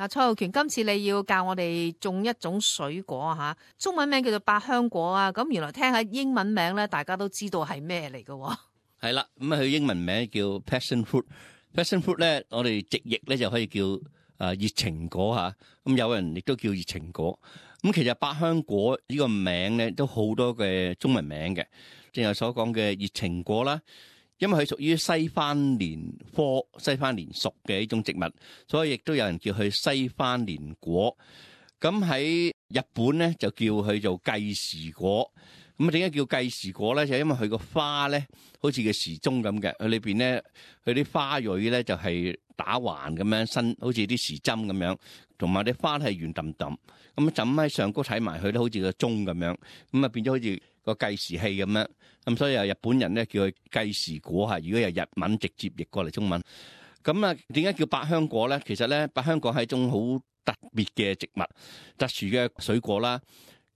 嗱，蔡浩權，今次你要教我哋種一種水果啊，中文名叫做百香果啊。咁原來聽下英文名咧，大家都知道係咩嚟嘅。係啦，咁佢英文名叫 passion fruit。passion fruit 咧，我哋直譯咧就可以叫熱情果嚇。咁有人亦都叫熱情果。咁其實百香果呢個名咧都好多嘅中文名嘅，正如所講嘅熱情果啦。因為佢屬於西番蓮科西番蓮屬嘅一種植物，所以亦都有人叫佢西番蓮果。咁喺日本咧就叫佢做計時果。咁啊，點解叫計時果咧？就因為佢個花咧好似個時鐘咁嘅，佢裏邊咧佢啲花蕊咧就係打橫咁樣伸，好似啲時針咁樣，同埋啲花係圓揼揼，咁枕喺上高睇埋佢都好似個鐘咁樣，咁啊變咗好似個計時器咁樣。咁所以日本人咧叫佢計時果嚇。如果由日文直接譯過嚟中文，咁啊點解叫百香果咧？其實咧百香果係一種好特別嘅植物，特殊嘅水果啦。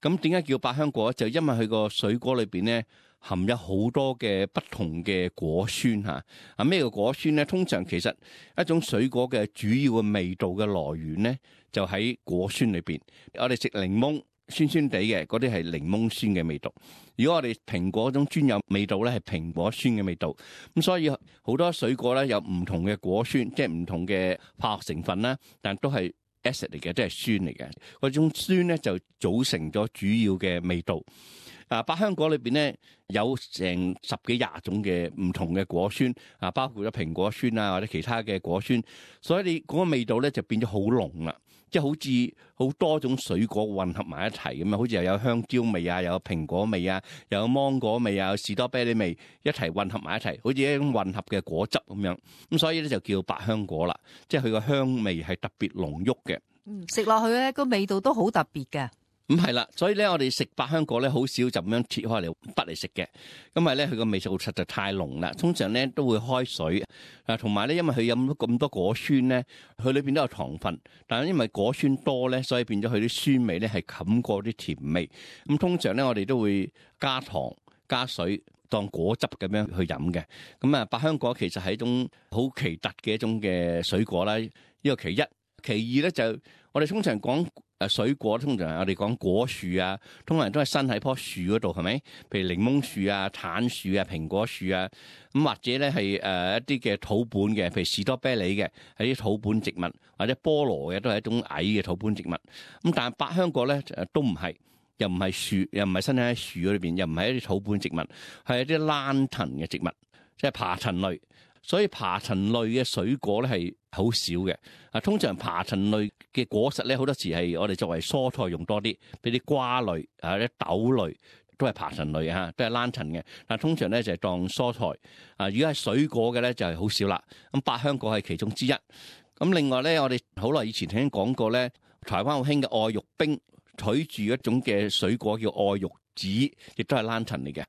咁點解叫百香果？就因為佢個水果裏邊咧含有好多嘅不同嘅果酸嚇。啊咩叫果酸咧？通常其實一種水果嘅主要嘅味道嘅來源咧，就喺果酸裏邊。我哋食檸檬酸酸地嘅，嗰啲係檸檬酸嘅味道。如果我哋蘋果嗰種專有味道咧，係蘋果酸嘅味道。咁所以好多水果咧有唔同嘅果酸，即係唔同嘅化學成分啦，但都係acid 嚟嘅，都係酸嚟嘅。嗰種酸咧就組成咗主要嘅味道。百香果裏邊咧有成10幾20種嘅唔同嘅果酸，包括咗蘋果酸啊或者其他嘅果酸，所以你嗰個味道咧就變咗好濃啦，即係好似好多種水果混合埋一齊咁啊，好似又有香蕉味啊，又有蘋果味啊，又有芒果味啊，有士多啤梨味，一齊混合埋一齊，好似一種混合嘅果汁咁樣。咁所以咧就叫百香果啦，即係佢個香味係特別濃郁嘅。食落去咧個味道都好特別嘅。咁係啦，所以咧我哋食百香果咧好少就咁樣切開嚟剝嚟食嘅，因為咧佢個味道實在太濃啦。通常咧都會開水，同埋咧因為佢有咁多果酸咧，佢裏邊都有糖分，但係因為果酸多咧，所以變咗佢啲酸味咧係冚過啲甜味。咁通常咧我哋都會加糖加水當果汁咁樣去飲嘅。咁啊百香果其實係一種好奇特嘅一種嘅水果啦。呢個其一，其二咧就我哋通常講水果，通常我哋講果樹啊，通常都係生喺棵樹嗰度，係咪？譬如檸檬樹啊、橙樹啊、蘋果樹啊，咁或者咧係一啲嘅土本嘅，譬如士多啤梨嘅係啲土本植物，或者菠蘿嘅都係一種矮嘅土本植物。咁但係百香果咧都唔係，又唔係樹，又唔係生喺樹嗰裏邊，又唔係一啲土本植物，係一啲蘭藤嘅植物，即係爬藤類。所以爬藤類嘅水果咧係好少嘅。通常爬藤類嘅果實咧，好多時係我哋作為蔬菜用多啲，俾啲瓜類啊、啲豆類都係爬藤類嚇，都係蘭藤嘅。但通常咧就係當蔬菜。如果係水果嘅咧就係好少啦。咁百香果係其中之一。咁另外咧，我哋好耐以前聽講過咧，台灣好興嘅愛玉冰，取住一種嘅水果叫愛玉子，亦都係蘭藤嚟嘅。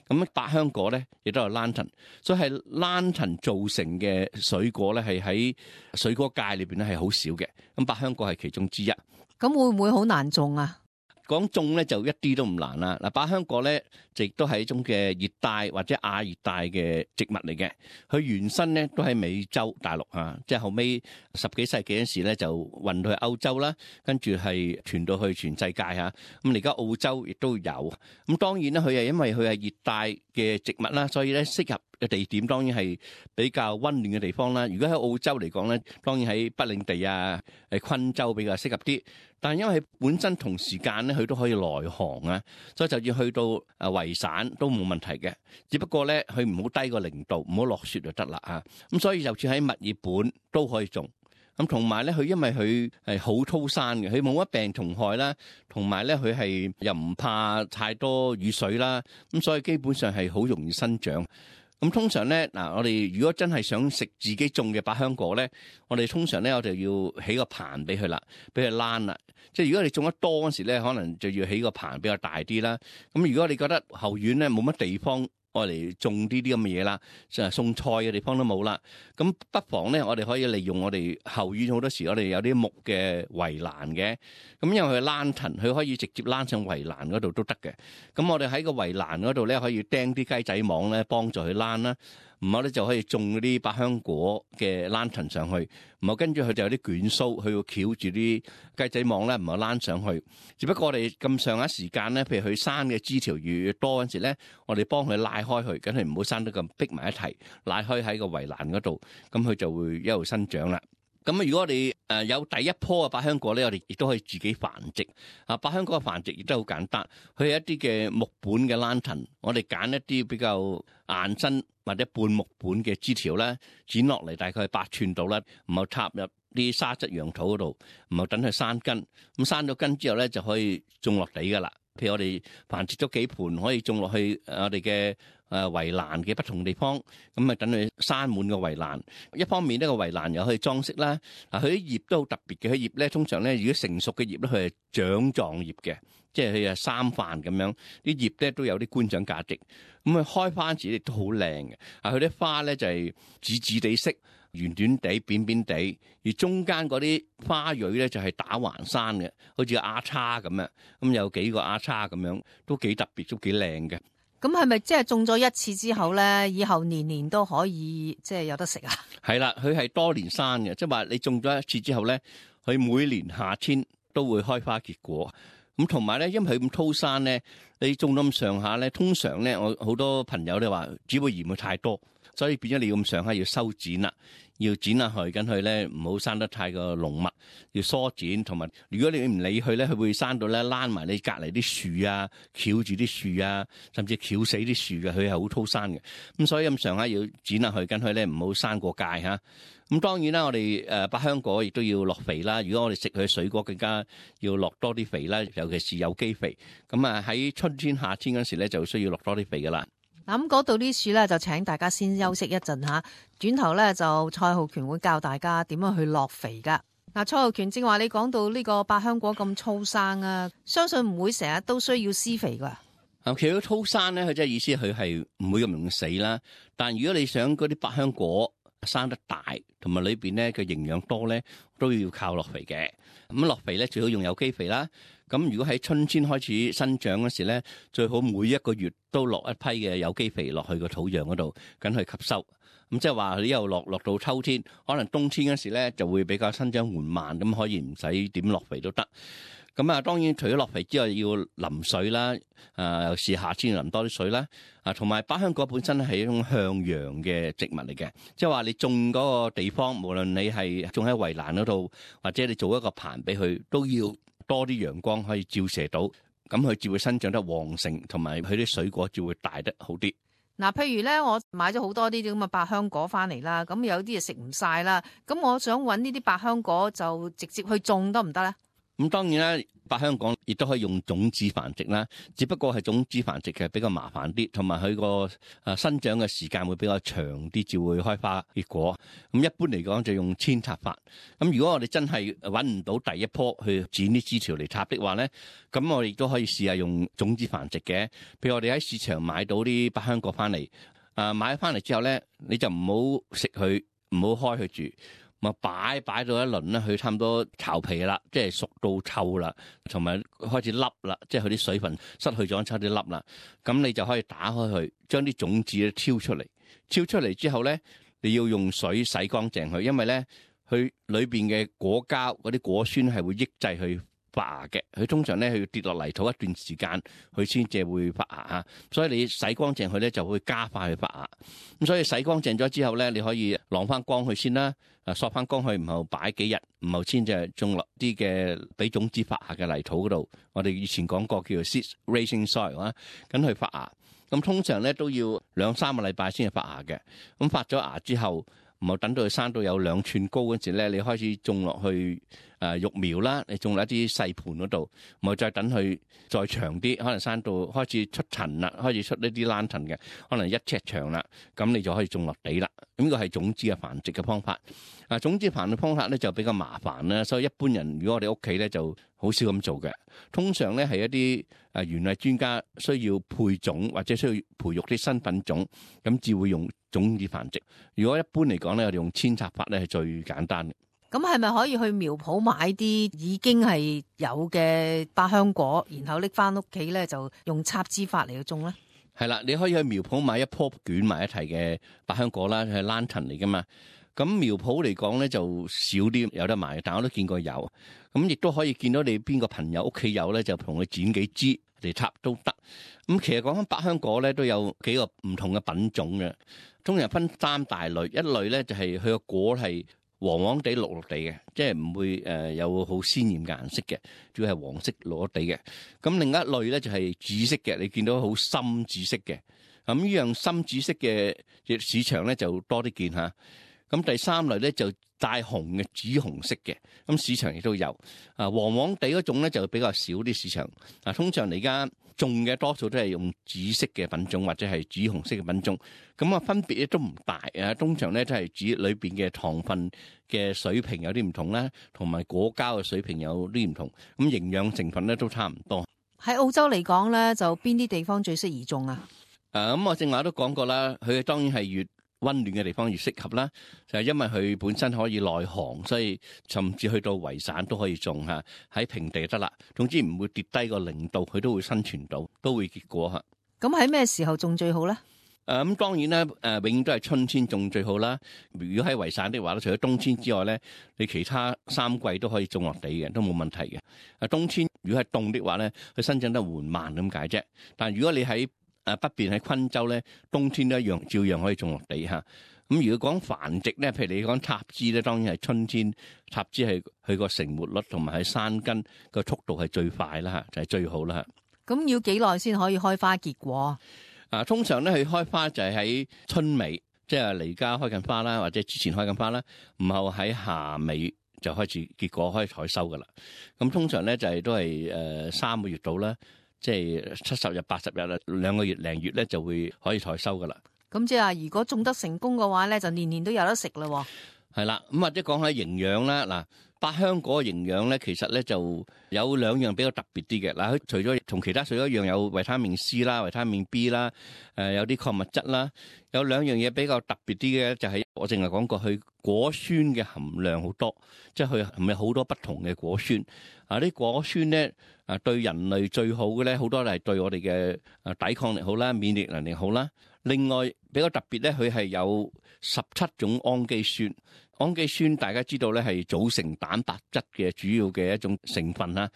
咁百香果咧，亦都係蘭藤，所以係蘭藤造成嘅水果咧，係喺水果界裏邊咧係好少嘅。咁百香果係其中之一。咁會唔會好難種啊？講種咧就一啲都唔難啦。嗱，百香果咧亦都係一種嘅熱帶或者亞熱帶嘅植物嚟嘅。佢原生咧都喺美洲大陸嚇，即係後尾10幾世紀嗰時咧就運到去歐洲啦，跟住係傳到去全世界嚇。咁而家澳洲亦都有。咁當然咧，佢係因為佢係熱帶嘅植物啦，所以咧適合嘅地點當然係比較溫暖嘅地方啦。如果喺澳洲嚟講咧，當然喺北領地啊、昆州比較適合啲。但係因為本身同時間咧，佢都可以來航啊，所以就要去到維省都冇問題嘅。只不過咧，佢唔好低過0度，唔好落雪就得啦嚇。咁所以就算喺墨爾本都可以種。咁同埋咧，佢因為佢係好粗生嘅，佢冇乜病蟲害啦，同埋咧佢係又唔怕太多雨水啦，咁所以基本上係好容易生長。咁通常咧，嗱，我哋如果真係想食自己種嘅百香果咧，我哋通常咧我就要起個棚俾佢啦，俾佢躝啦。即係如果你種得多嗰時咧，可能就要起個棚比較大啲啦。咁如果你覺得後院咧冇乜地方愛嚟種呢啲咁嘅嘢啦，就係種菜嘅地方都冇啦，咁不妨咧我哋可以利用我哋後院好多時我哋有啲木嘅圍欄嘅，咁因為佢躝藤，佢可以直接躝上圍欄嗰度都得嘅。咁我哋喺個圍欄嗰度咧可以釘啲雞仔網咧幫助佢躝啦。然後咧就可以種嗰啲百香果嘅 lantern 上去，然後跟住佢就有啲捲鬚，佢要翹住啲雞仔網咧，然後躝上去。只不過我哋咁上下時間咧，譬如佢生嘅枝條越多嗰陣時咧，我哋幫佢拉開佢，梗係唔好生得咁逼埋一齊，拉開喺個圍欄嗰度，咁佢就會一路生長啦。咁如果我哋有第一棵嘅百香果咧，我哋亦都可以自己繁殖。百香果嘅繁殖亦都好簡單，佢係一啲嘅木本嘅 lantern，我哋揀一啲比較硬身或者半木本嘅枝條咧，剪落嚟大概8寸度啦，然後插入啲沙質養土嗰度，然後等佢生根。咁生咗根之後咧，就可以種落地噶啦。譬如我哋繁殖咗幾盆，可以種落去我哋嘅圍欄嘅不同地方，咁啊等佢生滿個圍欄。一方面呢個圍欄又可以裝飾啦。佢啲葉都好特別嘅，佢葉咧通常咧，如果成熟嘅葉咧，佢係掌狀葉嘅，即係佢係三瓣咁樣，啲葉咧都有啲觀賞價值。咁佢開花時亦都好靚嘅。佢啲花咧就係紫紫地色，圓短地、扁扁地，而中間嗰啲花蕊咧就係打橫生嘅，好似丫叉咁樣。咁有幾個丫叉咁樣，都幾特別，都幾靚嘅。咁係咪即係種咗一次之後咧，以後年年都可以即係有得食啊？係啦，佢係多年生嘅，即係話你種咗一次之後咧，佢每年夏天都會開花結果。咁同埋咧，因為佢咁粗生咧，你種到咁上下咧，通常咧，我好多朋友咧話只會嫌佢太多，所以變咗你咁上下要修剪啦，要剪下去，跟佢咧唔好生得太過濃密，要疏剪。同埋如果你唔理佢咧，佢會生到咧躝埋你隔離啲樹啊，翹住啲樹啊，甚至翹死啲樹嘅，佢係好粗生嘅。咁所以咁上下要剪下去，跟佢咧唔好生過界嚇。咁當然啦，我哋百香果亦都要落肥啦。如果我哋食佢水果，更加要落多啲肥啦，尤其是有機肥。咁喺春天、夏天嗰時咧，就需要落多啲肥噶啦。咁嗰度啲樹咧，就請大家先休息一陣嚇，轉頭咧就蔡浩權會教大家點樣去落肥噶。嗱，蔡浩權正話你講到呢個百香果咁粗生啊，相信唔會成日都需要施肥噶。其實粗生咧，佢即係意思佢係唔會咁容易死啦。但如果你想嗰啲百香果生得大，同埋裏邊咧嘅營養多咧，都要靠落肥嘅。咁落肥咧最好用有機肥啦。咁如果喺春天開始生長嗰時咧，最好每一個月都落一批嘅有機肥落去個土壤嗰度，緊去吸收。咁即係話佢一路落到秋天，可能冬天嗰時咧就會比較生長緩慢，咁可以唔使點落肥都得。咁當然除咗落肥之外，要淋水啦。有時夏天要淋多啲水啦。同埋百香果本身係一種向陽嘅植物嚟嘅，即係話你種嗰個地方，無論你係種喺圍欄嗰度，或者你做一個棚俾佢，都要多啲陽光可以照射到，咁佢就會生長得旺盛，同埋佢啲水果就會大得好啲。嗱，譬如咧，我買咗好多啲咁嘅百香果翻嚟啦，咁有啲嘢食唔晒啦，咁我想揾呢啲百香果就直接去種得唔得咧？咁當然啦，百香果亦都可以用種子繁殖啦，只不過係種子繁殖其實比較麻煩啲，同埋佢個生長嘅時間會比較長啲，至會開花結果。咁一般嚟講就用扦插法。咁如果我哋真係揾唔到第一棵去剪啲枝條嚟插的話咧，咁我哋亦都可以試下用種子繁殖嘅。譬如我哋喺市場買到啲百香果翻嚟，買咗翻嚟之後咧，你就唔好食佢，唔好開佢住。咪擺到一輪咧，佢差唔多巢皮啦，即係熟到臭啦，同埋開始凹啦，即係佢啲水分失去咗，差啲凹啦。咁你就可以打開佢，將啲種子咧挑出嚟。挑出嚟之後咧，你要用水洗乾淨佢，因為咧佢裏邊嘅果膠嗰啲果酸係會抑制佢發芽嘅。佢通常咧佢要跌落泥土一段時間，佢先至會發芽啊。所以你洗乾淨佢咧，就會加快佢發芽。咁所以洗乾淨咗之後咧，你可以晾翻乾佢先啦。索翻乾去，然後擺幾日，然後先就種落啲嘅俾種子發芽嘅泥土嗰度。我哋以前講過叫做 seed raising soil 啊，咁去發芽。咁通常咧都要2-3個禮拜先至發芽嘅。咁發咗芽之後，然後等到佢生到有2寸高嗰時咧，你開始種落去育苗啦。你種落一啲細盤嗰度，然後再等佢再長啲，可能生到開始出塵啦，開始出呢啲 lantern 嘅，可能1尺長啦，咁你就可以種落地啦。咁呢個係種子嘅繁殖嘅方法。種子繁殖方法咧就比較麻煩啦，所以一般人如果我哋屋企咧就好少咁做嘅。通常咧係一啲園藝專家需要配種或者需要培育啲新品種，咁至會用種子繁殖。如果一般嚟講咧，我哋用扦插法咧係最簡單嘅。咁係咪可以去苗圃買啲已經係有嘅百香果，然後拎翻屋企咧就用插枝法嚟去種咧？係啦，你可以去苗圃買一樖捲埋一齊嘅百香果啦，係 lantern 嚟噶嘛。咁苗圃嚟講咧就少啲有得賣，但我都見過有。咁亦都可以見到你邊個朋友屋企有咧，就同佢剪幾支嚟插都得。咁其實講緊百香果咧，都有幾個唔同嘅品種嘅，通常分三大類。一類咧就係佢個果係黃黃地綠綠地嘅，即係唔會有好鮮豔嘅顏色嘅，主要係黃色綠綠地嘅。咁另一類咧就係紫色嘅，你見到好深紫色嘅。咁呢樣深紫色嘅市場咧就多啲見嚇。咁第三類咧就帶紅嘅紫紅色嘅，咁市場亦都有。黃黃地嗰種咧就比較少啲市場。通常而家種嘅多數都係用紫色嘅品種或者係紫紅色嘅品種。咁啊分別咧都唔大啊。通常咧都係指裏邊嘅糖分嘅水平有啲唔同啦，同埋果膠嘅水平有啲唔同。咁營養成分咧都差唔多。喺澳洲嚟講咧，就邊啲地方最適宜種啊？咁我正話都講過啦，佢當然係越溫暖嘅地方越適合啦，就係因為佢本身可以耐寒，所以甚至去到圍散都可以種嚇，喺平地就得啦。總之唔會跌低個0度，佢都會生存到，都會結果嚇。咁喺咩時候種最好咧？咁當然咧，永遠都係春天種最好啦。如果喺圍散的話咧，除咗冬天之外咧，你其他3季都可以種落地嘅，都冇問題嘅。冬天如果係凍的話咧，佢生長得緩慢咁解啫。但如果你喺北邊喺昆州咧，冬天都一樣照樣可以種落地嚇。咁如果講繁殖咧，譬如你講插枝咧，當然係春天插枝係佢個成活率同埋喺山根個速度係最快啦嚇，就係最好啦嚇。咁要幾耐先可以開花結果？通常咧佢開花就係喺春尾，即係嚟家開緊花啦，或者之前開緊花啦，然後喺夏尾就開始結果可以採收噶啦。咁通常咧就係都係3個月到啦。即係70日、80日啦，2個月零月咧就會可以採收噶啦。咁即係話，如果種得成功嘅話咧，就年年都有得食啦。係啦，咁或者講下營養啦。嗱，百香果嘅營養咧，其實咧就有2樣比較特別啲嘅。嗱，佢除咗同其他水果一樣有維他命 C 啦、維他命 B 啦，有啲礦物質啦，有2樣嘢比較特別啲嘅就係我淨係講過，佢果酸嘅含量好多，即係佢係咪好多不同嘅果酸？啲果酸咧對人類最好嘅咧，好多係對我哋嘅抵抗力好啦、免疫能力好啦。另外比較特別咧，佢係有17種氨基酸。氨基酸大家知道咧係組成蛋白質嘅主要嘅一種成分啦，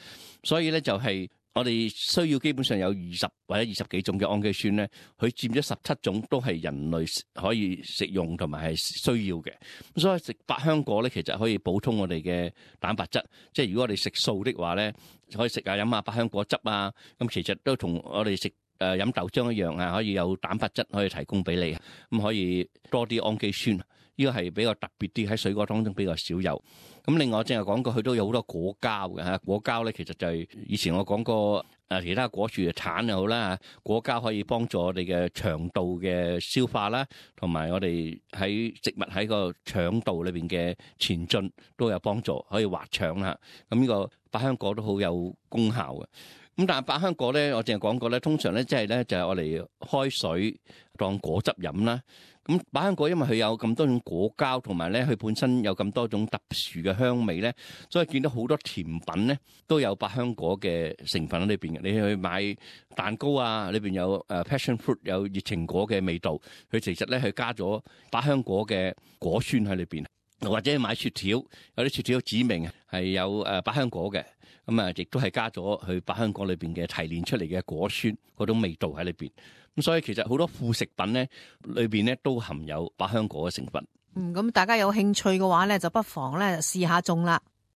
所以咧就係我哋需要基本上有20或者20幾種嘅氨基酸咧，佢佔咗17種都係人類可以食用同埋係需要嘅。咁所以食百香果咧，其實可以補充我哋嘅蛋白質。即係如果我哋食素的話咧，可以食下飲下百香果汁啊。咁其實都同我哋食飲豆漿一樣啊，可以有蛋白質可以提供俾你，咁可以多啲氨基酸。呢個係比較特別啲，喺水果當中比較少有。咁另外我正係講過，佢都有好多果膠嘅嚇。果膠咧其實就係以前我講過其他果樹嘅橙又好啦，果膠可以幫助我哋嘅腸道嘅消化啦，同埋我哋喺植物喺個腸道裏邊嘅前進都有幫助，可以滑腸啦。咁呢個百香果都好有功效嘅。咁但係百香果咧，我淨係講過咧，通常咧即係咧就係我哋開水當果汁飲啦。咁百香果因為佢有咁多種果膠，同埋咧佢本身有咁多種特殊嘅香味咧，所以見到好多甜品咧都有百香果嘅成分喺裏邊嘅。你去買蛋糕啊，裏邊有passion fruit 有熱情果嘅味道，佢其實咧佢加咗百香果嘅果酸喺裏邊。或者買雪條，有啲雪條指明係有百香果嘅，咁亦都係加咗佢百香果裏邊嘅提煉出嚟嘅果酸嗰種味道喺裏邊。咁所以其實好多副食品咧裏邊咧都含有百香果嘅成分。咁大家有興趣嘅話咧，就不妨咧試下種啦。